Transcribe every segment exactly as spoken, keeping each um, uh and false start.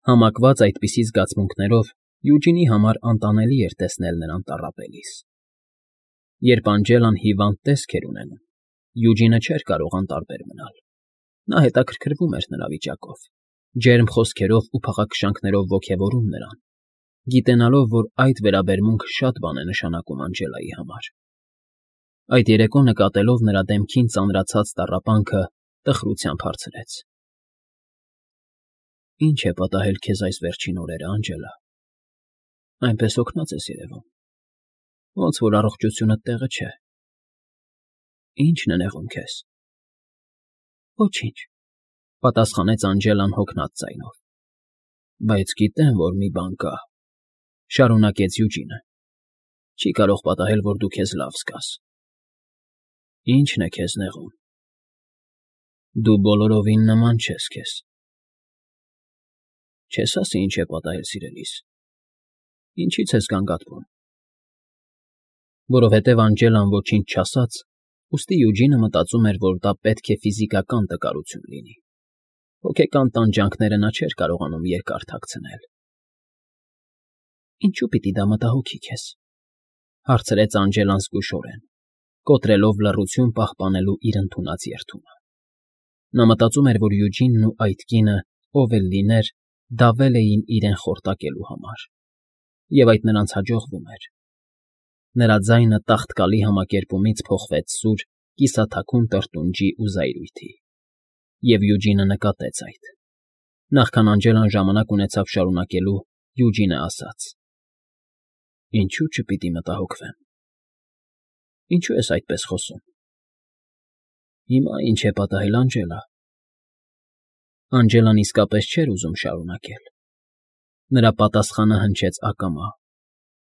Համակված այդպիսի զգացմունքներով Յուջինի համար անտանելի էր տեսնել նրան տառապելիս։ Երբ Անջելան հիվանդ տեսք էր ունենում, Յուջինը չէր կարող անտարբեր մնալ. նա հետաքրքրվում էր նրա վիճակով, ջերմ խոսքերով ու փաղաքշանքներով ոգևորում նրան, գիտենալով, որ այդ վերաբերմունքը շատ բան է նշանակում Անջելայի համար։ Այդ երեկո նկատելով նրա դեմքին ծանրացած տառապանքը, տխրությամբ հարցրեց. Ի՞նչ է պատահել քեզ այս վերջին օրերը, Անջելա։ Այնպես հոգնած ես երևում, ոնց որ առողջությունդ տեղը չէ։ Ի՞նչն է նեղում քեզ։ Ոչինչ, պատասխանեց Անջելան հոգնած ձայնով։ Բայց գիտեմ, որ մի բան կա, շարունակեց Յուջինը։ Չի կարող պատահել, որ դու քեզ լավ զգաս։ Ի՞նչն է քեզ նեղում։ Դու բոլորովին նման չես քեզ։ Չես ասի ինչ է պատահել, սիրելիս։ Ինչի՞ց ես գանգատվում։ Որովհետև Անջելան ոչինչ չասաց, ուստի Յուջինը մտածում էր, որ դա պետք է ֆիզիկական տկարություն լինի։ Հոգեկան տանջանքները նա չէր կարողանում երկար թաքցնել։ Ինչու պիտի դա մտահոգի քեզ, հարցրեց Անջելան զգուշորեն, կոտրելով լռություն պահպանելու իր ընդունած երդումը։ Նա մտածում էր, որ Յուջինն ու այդ կինը, ով էլ լիներ, դավել էին իրեն խորտակելու համար, և այդ նրանց հաջողվում էր։ Նրա ձայնը տաղտկալի համակերպումից փոխվեց սուր, կիսաթաքուն տրտունջի ու զայրույթի, և Յուջինը նկատեց այդ։ Նախքան Անջելան ժամանակ ունեցավ շարունակելու, Յուջինը ասաց. Ինչու չպիտի մտահոգվեմ։ Ինչու ես այդպես խոսում։ Հիմա ինչ է պատահել, Անջելա։ Անջելան իսկապես չէր ուզում շարունակել։ Նրա պատասխանը հնչեց ակամա,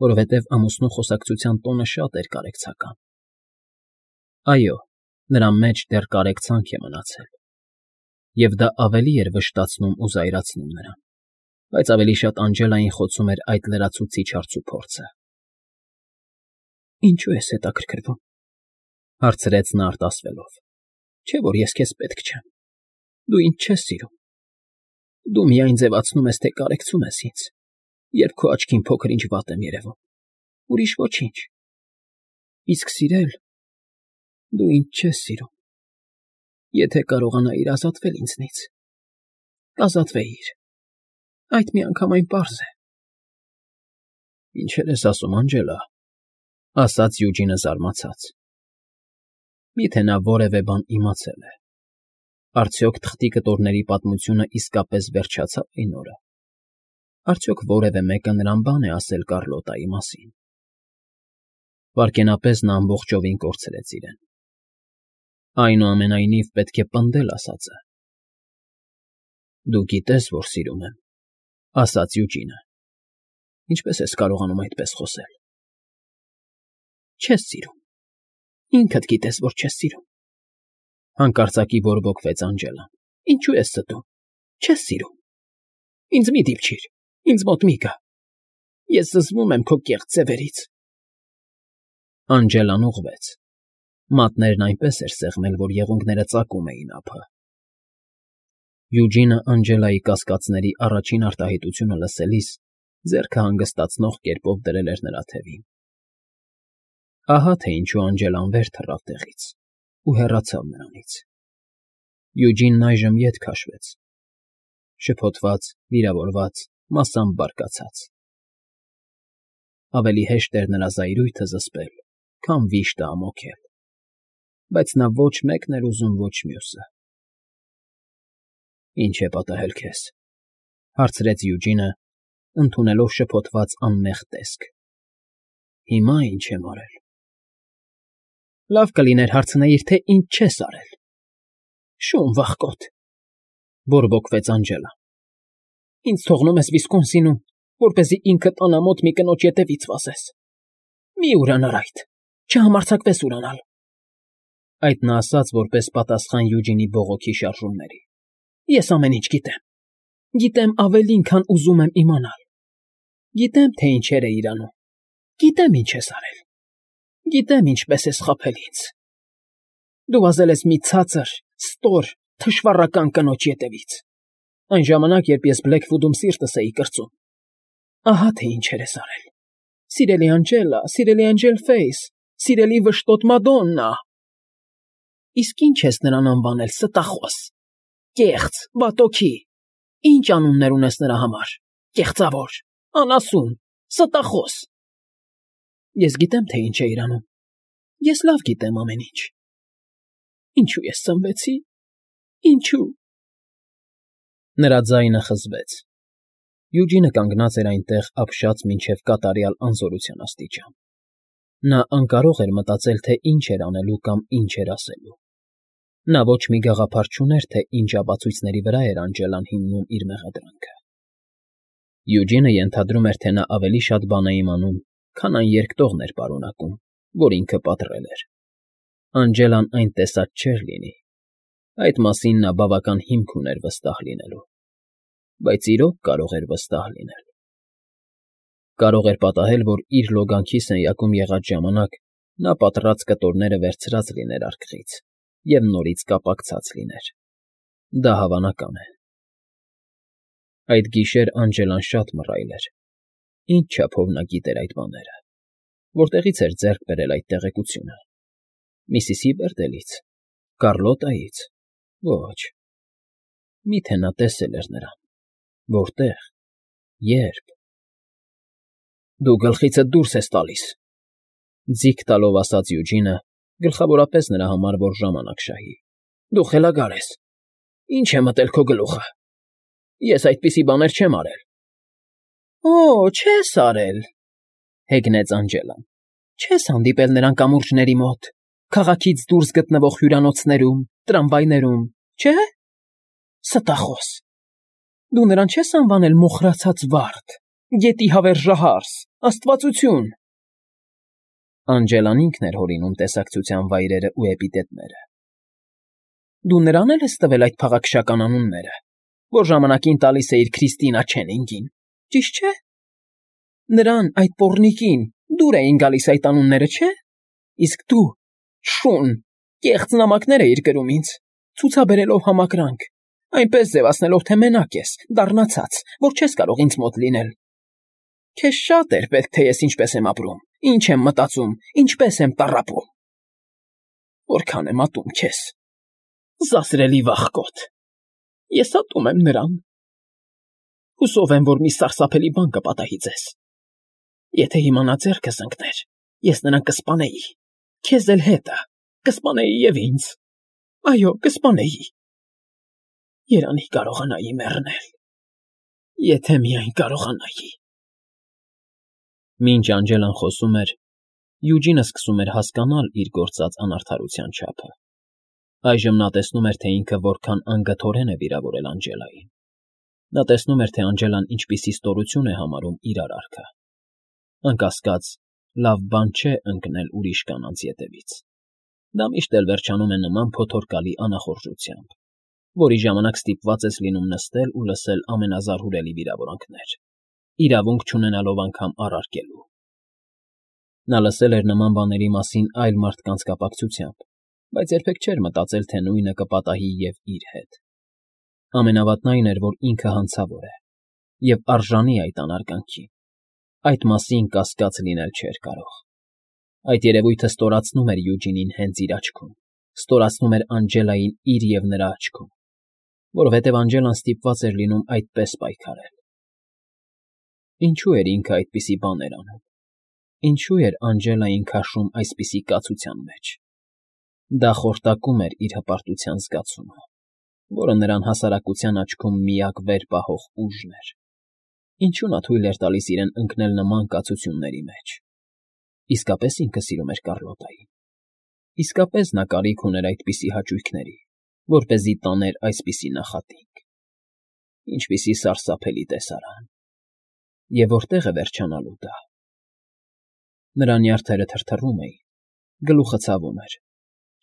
որովհետև ամուսնու խոսակցության տոնը շատ էր կարեկցական։ Այո, նրա մեջ դեռ կարեկցանք է մնացել, և դա ավելի էր վշտացնում ու զայրացնում նրան, բայց ավելի շատ Անջելային խոցում էր այդ լրացուցիչ հարցուփորձը։ Ինչու ես հետաքրքրվում, հարցրեց նա արտասվելով։ Չէ՞ որ ես քեզ պետք չեմ։ Դու ինձ չես սիրում։ Դու միայն ձևացնում ես, թե կարեկցում ես ինձ, երբ քո աչքին փոքր-ինչ վատ եմ երևում, ուրիշ ոչինչ։ Իսկ սիրել… Դու ինձ չես սիրում։ Եթե կարողանայիր ազատվել ինձնից, կազատվեիր։ Այդ միանգամայն պարզ է։ Ինչեր ես ասում, Անջելա, ասաց Յուջինը զարմացած։ Միթե նա որևէ բան իմացել է։ Արդյոք թղթի կտորների պատմությունը իսկապես վերջացա՞վ այն օրը։ Արդյոք որևէ մեկը նրան բան է ասել Կառլոտայի մասին։ Վայրկենապես նա ամբողջովին կորցրեց իրեն։ Այնուամենայնիվ պետք է պնդել ասածը։ Դու գիտես, որ սիրում եմ, ասաց Յուջինը։ Ինչպես ես կարողանում այդպես խոսել։ Չես սիրում։ Ինքդ գիտես, որ չես սիրում։ Հանկարծակի բորբոքվեց Անջելան։ Ինչու ես ստում։ Չես սիրում։ Ինձ մի դիպչիր, ինձ մոտ մի գա։ Ես զզվում եմ քո կեղծ ձևերից։ Անջելան ուղղվեց։ Մատներն այնպես էր սեղմել, որ եղունգները ծակում էին ափը։ Յուջինը Անջելայի կասկածների առաջին արտահայտությունը լսելիս ձեռքը հանգստացնող կերպով դրել էր նրա թևին։ Ահա թե ինչու Անջելան վեր թռավ տեղից ու հեռացավ նրանից։ Յուջինն այժմ ետ քաշվեց, շփոթված, վիրավորված, մասամբ բարկացած։ Ավելի հեշտ էր նրա զայրույթը զսպել, քան վիշտը ամոթել, բայց նա ոչ մեկն էր ուզում, ոչ մյուսը։ Ինչ է պատահել քեզ, հարցրեց Յուջինը, ընդունելով շփոթված անմեղ տեսք։ Հիմա ինչ եմ արել։ Լավ կլիներ հարցնեիր, թե ինչ չես արել։ Շուն վախկոտ, բորբոքվեց Անջելան։ Ինձ թողնում ես Վիսկոնսինում, որպեսզի ինքդ անամոթ մի կնոջ ետևից վազես։ Մի ուրանար այդ, չհամարձակվես ուրանալ։ Այդ նա ասաց որպես պատասխան Յուջինի բողոքի շարժումների։ Ես ամեն ինչ գիտեմ։ Գիտեմ ավելին, քան ուզում եմ իմանալ։ Գիտեմ, թե ինչեր էիր անում։ Գիտեմ ինչ ես արել։ Գիտեմ ինչպես ես խաբել ինձ։ Դու վազել ես մի ցածր, ստոր, թշվառական կնոջ ետևից։ Այն ժամանակ, երբ ես Բլեքվուդում սիրտս էի կրծում։ Ահա թե ինչեր ես արել։ Սիրելի Անջելա, սիրելի Էնջելֆեյս, սիրելի վշտոտ Մադոննա։ Իսկ ինչ ես նրան անվանել, ստախոս, կեղծ, վատոքի, ինչ անուններ ունես նրա համար, կեղծավոր, անասուն, ստախոս։ Ես գիտեմ, թե ինչ է իրանում, ես լավ գիտեմ ամեն ինչ։ Ինչու ես ծնվեցի, ինչու… Նրա ձայնը խզվեց։ Յուջինը կանգնած էր այնտեղ ապշած մինչև կատարյալ անզորության աստիճան։ Նա անկարող էր մտածել, թե ինչ էր անելու կամ ինչ էր ասելու։ Նա ոչ մի գաղափար չուներ, թե ինչ ապացույցների վրա էր Անջելան հիմնում իր մեղադրանքը։ Յուջինը ենթադրում էր, թե նա ավելի շատ բան է իմանում, քան այն երկտողն էր պարունակում, որ ինքը պատռել էր։ Անջելան այն տեսած չէր լինի։ Այդ մասին նա բավական հիմք ուներ վստահ լինելու։ Բայց իրոք կարող էր վստահ լինել։ Կարող էր պատահել, որ իր լոգանքի սենյակում եղած ժամանակ նա պատռած կտորները վերցրած լիներ արկղից և նորից կապակցած լիներ։ Դա հավանական է։ Այդ գիշեր Անջելան շատ մռայլ էր։ Ինչ չափով նա գիտեր այդ բաները։ Որտեղից էր ձեռք բերել այդ տեղեկությունը։ Միսիսի Բերդելից, Կառլոտայից։ Ոչ։ Միթե նա տեսել էր նրան։ Որտե՞ղ, ե՞րբ։ Դու գլխիցդ դուրս ես տալիս,֊ ձիգ տալով ասաց Յուջինը, գլխավորապես նրա համար, որ ժամանակ շահի։ Դու խելագար ես։ Ինչ է մտել քո գլուխը։ Ես այդպիսի բաներ չեմ արել։ Օ, չես արել,֊ հեգնեց Անջելան։ Չես հանդիպել նրան կամուրջների մոտ, քաղաքից դուրս գտնվող հյուրանոցներում, տրամվայներում, չէ՞։ Ստախոս։ Դու նրան չես անվանել մոխրացած վարդ, գետի հավերժահարս, աստվածություն։ Անջելան ինքն էր հորինում տեսակցության վայրերը ու էպիտետները։ Դու նրան էլ ես տվել այդ փաղաքշական անունները, որ ժամանակին տալիս էիր Քրիստինա Չենինգին, ճիշտ չէ։ Նրան, այդ պոռնիկին, դուր էին գալիս այդ անունները, չէ։ Իսկ դու, շուն, կեղծ նամակներ էիր գրում ինձ, ցուցաբերելով համակրանք, այնպես ձևացնելով, թե մենակ ես, դառնացած, որ չես կարող ինձ մոտ լինել։ Քեզ շատ էր պետք, թե ես ինչպես եմ ապրում, ինչ եմ մտածում, ինչպես եմ տառապում։ Որքան եմ ատում քեզ, զազրելի վախկոտ։ Ես ատում եմ նրան։ Հուսով եմ, որ մի սարսափելի բան կպատահի ձեզ։ Եթե հիմա նա ձեռքս ընկներ, ես նրան կսպանեի, քեզ էլ հետը, կսպանեի և ինձ։ Այո, կսպանեի։ Երանի կարողանայի մեռնել, եթե միայն կարողանայի։ Մինչ Անջելան խոսում էր, Յուջինը սկսում էր հասկանալ իր գործած անարդարության չափը։ Այժմ նա տեսնում էր, թե ինքը որքան անգթորեն է վիրավորել Անջելային։ Նա տեսնում էր, թե Անջելան ինչպիսի ստորություն է համարում իր արարքը։ Անկասկած, լավ բան չէ ընկնել ուրիշ կանանց ետևից։ Դա միշտ էլ վերջանում է նման փոթորկալի անախորժությամբ, որի ժամանակ ստիպված ես լինում նստել ու լսել ամենազարհուրելի վիրավորանքներ, իրավունք չունենալով անգամ առարկելու։ Նա լսել էր նման բաների մասին այլ մարդկանց կապակցությամբ, բայց երբեք չէր մտածել, թե նույնը կպատահի և իր հետ։ Ամենավատն այն էր, որ ինքը հանցավոր է և արժանի այդ անարգանքին։ Այդ մասին կասկած լինել չէր կարող։ Այդ երևույթը ստորացնում էր Յուջինին հենց իր աչքում, ստորացնում էր Անջելային իր և նրա աչքում, որովհետև Անջելան ստիպված էր լինում այդպես պայքարել։ Ինչու էր ինքը այդպիսի բաներ անում։ Ինչու էր Անջելային քաշում այսպիսի կացության մեջ։ Դա խորտակում էր իր հպարտության զգացումը, որը նրան հասարակության աչքում միակ վեր պահող ուժն էր։ Ինչու նա թույլ էր տալիս իրեն ընկնել նման կացությունների մեջ։ Իսկապես ինքը սիրում էր Կառլոտային։ Իսկապես նա կարիք ուներ այդպիսի հաճույքների, որպեսզի տաներ այսպիսի նախատինք։ Ինչպիսի սարսափելի տեսարան։ Եվ որտեղ է վերջանալու դա։ Նրա նյարդերը թրթռում էին, գլուխը ցավում էր,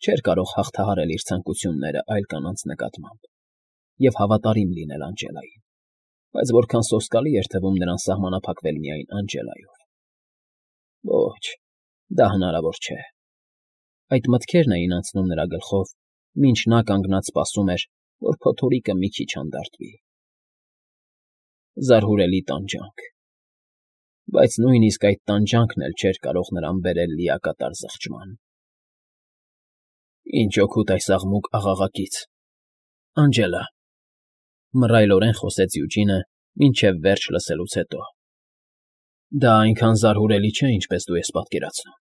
չէր կարող հաղթահարել իր ցանկությունները այլ կանանց նկատմամբ և հավատարիմ լինել Անջելային, բայց որքան սոսկալի էր թվում նրան սահմանափակվել միայն Անջելայով։ Ոչ, դա հնարավոր չէ։ Այդ մտքերն էին անցնում նրա գլխով, մինչ նա կանգնած սպասում էր, որ փոթորիկը մի քիչ հանդարտվի, Զարհուրելի տանջանք։ Բայց նույնիսկ այդ տանջանքն էլ չէր կարող նրան բերել լիակատար զղջման։ Ինչ օգուտ այս աղմուկ աղաղակից, Անջելա,֊ մռայլորեն խոսեց Յուջինը, մինչև վերջ լսելուց հետո։ Դա այնքան զարհուրելի չէ, ինչպես դու ես պատկերացնում։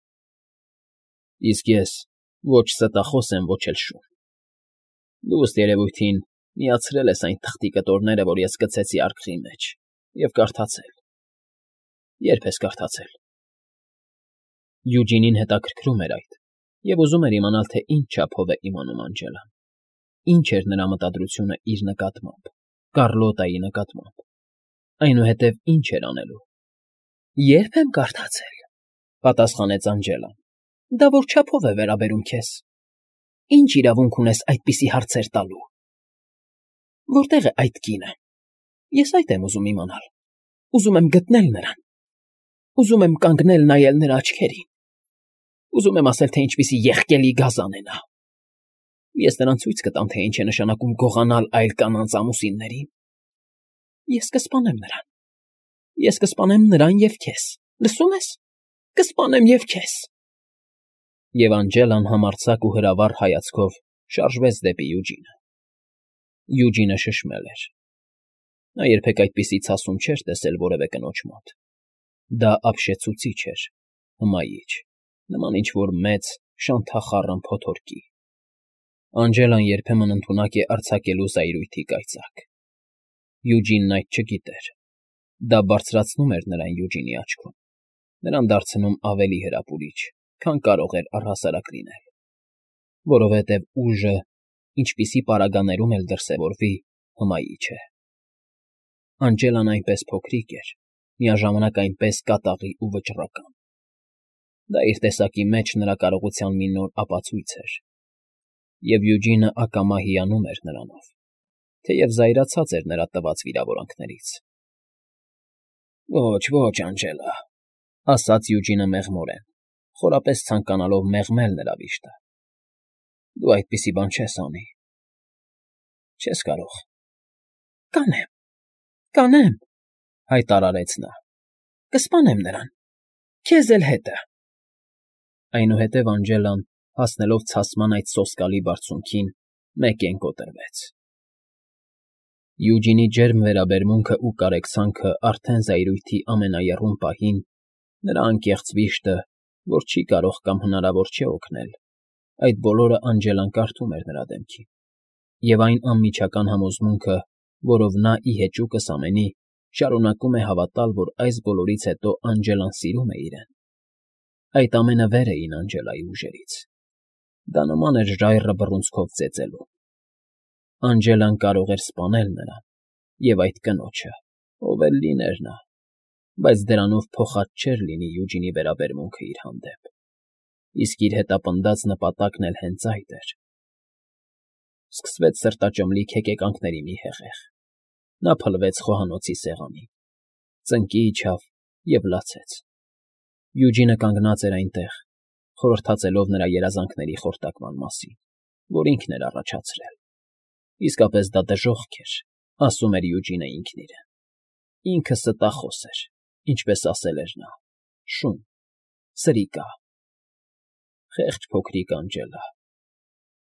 Իսկ ես ոչ ստախոս եմ, ոչ էլ շուն։ Դու, ըստ երևույթին, միացրել ես այն թղթի կտորները, որ ես գցեցի արկղի մեջ, և կարդացել։ Ե՞րբ ես կարդացել։ Յուջինին հետաքրքրում էր այդ, և ուզում էր իմանալ, թե ինչ չափով է իմանում Անջելան, ինչ էր նրա մտադրությունը իր նկատմամբ, Կառլոտայի նկատմամբ, այնուհետև ինչ էր անելու։ Ե՞րբ եմ կարդացել,֊ պատասխանեց Անջելան։ Դա որ չափով է վերաբերում քեզ։ Ինչ իրավունք ունես այդպիսի հարցեր տալու։ Որտե՞ղ է այդ կինը։ Ես այդ եմ ուզում իմանալ։ Ուզում եմ գտնել նրան։ Ուզում եմ կանգնել նայել նրա աչքերին։ Ուզում եմ ասել, թե ինչպիսի եղկելի գազան է նա։ Ես նրան ցույց կտամ, թե ինչ է նշանակում գողանալ այլ կանանց ամուսիններին։ Ես կսպանեմ նրան։ Ես կսպանեմ նրան և քեզ, լսո՞ւմ ես։ Կսպանեմ և քեզ։ Եվ Անջելան համարձակ ու հրավառ հայացքով շարժվեց դեպի Յուջինը։ Յուջինը շշմել էր։ Նա երբեք այդպիսի ցասում չէր տեսել որևէ կնոջ մոտ։ Դա ապշեցուցիչ էր, հմայիչ, նման ինչ֊որ մեծ, շանթախառն փոթորկի։ Անջելան երբեմն ընդունակ է արձակելու զայրույթի կայծակ։ Յուջինն այդ չգիտեր։ Դա բարձրացնում էր նրան Յուջինի աչքում, նրան դարձնում ավելի հրապուրիչ, քան կարող էր առհասարակ լինել, որովհետև ուժը, ինչպիսի պարագաներում էլ դրսևորվի, հմայիչ է։ Անջելան այնպես փոքրիկ էր, միաժամանակ այնպես կատաղի ու վճռական։ Դա իր տեսակի մեջ նրա կարողության մի նոր ապացույց էր, և Յուջինը ակամա հիանում էր նրանով, թեև զայրացած էր նրա տված վիրավորանքներից։ Ոչ, ոչ, Անջելա,֊ ասաց Յուջինը մեղմորեն, խորապես ցանկանալով մեղմել նրա վիշտը։ Դու այդպիսի բան չես անի։ Չես կարող։ Կանեմ, կանեմ,֊ հայտարարեց նա։ Կսպանեմ նրան, քեզ էլ հետը։ Այնուհետև Անջելան, հասնելով ցասման այդ սոսկալի բարձունքին, մեկեն կոտրվեց։ Յուջինի ջերմ վերաբերմունքն ու կարեկցանքն արդեն զայրույթի ամենաեռուն պահին, նրա անկեղծ վիշտը, որ չի կարող կամ հնարավոր չէ օգնել, այդ բոլորը Անջելան կարդում էր նրա դեմքին, և այն անմիջական համոզմունքը, որով նա ի հեճուկս ամենի շարունակում է հավատալ, որ այս բոլորից հետո Անջելան սիրում է իրեն, այդ ամենը վեր էին Անջելայի ուժերից։ Դա նման էր ժայռը բռունցքով ծեծելու։ Անջելան կարող էր սպանել նրան և այդ կնոջը, ով էլ լիներ նա, բայց դրանով փոխած չէր լինի Յուջինի վերաբերմունքը իր հանդեպ, իսկ իր հետապնդած նպատակն էլ հենց այդ էր։ Սկսվեց սրտաճմլիկ հեկեկանքների մի հեղեղ։ Նա փլվեց խոհանոցի սեղանին, ծնկի իջավ և լացեց։ Յուջինը կանգնած էր այնտեղ, խորհրդածելով նրա երազանքների խորտակման մասին, որ ինքն էր առաջացրել։ Իսկապես դա դժոխք էր, ասում էր Յուջինը ինքն իրեն։ Ինքը ստախոս էր, ինչպես ասել էր նա, շուն, սրիկա։ Խեղճ փոքրիկ Անջելա։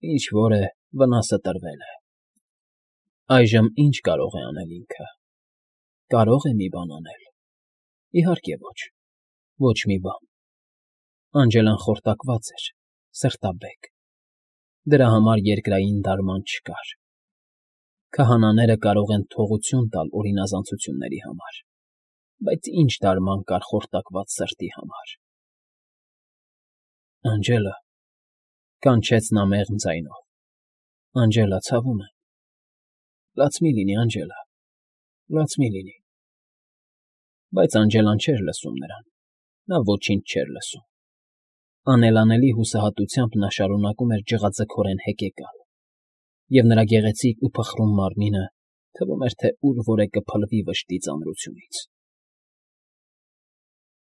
Ինչ֊որ է, վնասը տրվել է։ Այժմ ի՞նչ կարող է անել ինքը։ Կարո՞ղ է մի բան անել։ Իհարկե ոչ, ոչ մի բան։ Անջելան խորտակված էր, սրտաբեկ։ Դրա համար երկրային դարման չկար։ Քահանաները կարող են թողություն տալ օրինազանցությունների համար, բայց ի՞նչ դարման կար խորտակված սրտի համար։ Անջելա,֊ կանչեց նա մեղմ ձայնով,֊ Անջելա, ցավում եմ։ Լաց մի՛ լինի, Անջելա, լաց մի՛ լինի։ Բայց Անջելան չէր լսում նրան, նա ոչինչ չէր լսում։ Անելանելի հուսահատությամբ նա շարունակում էր ջղաձգորեն հեկեկալ, և նրա գեղեցիկ ու փխրուն մարմինը թվում էր, թե ուր֊որ է կփլվի վշտի ծանրությունից։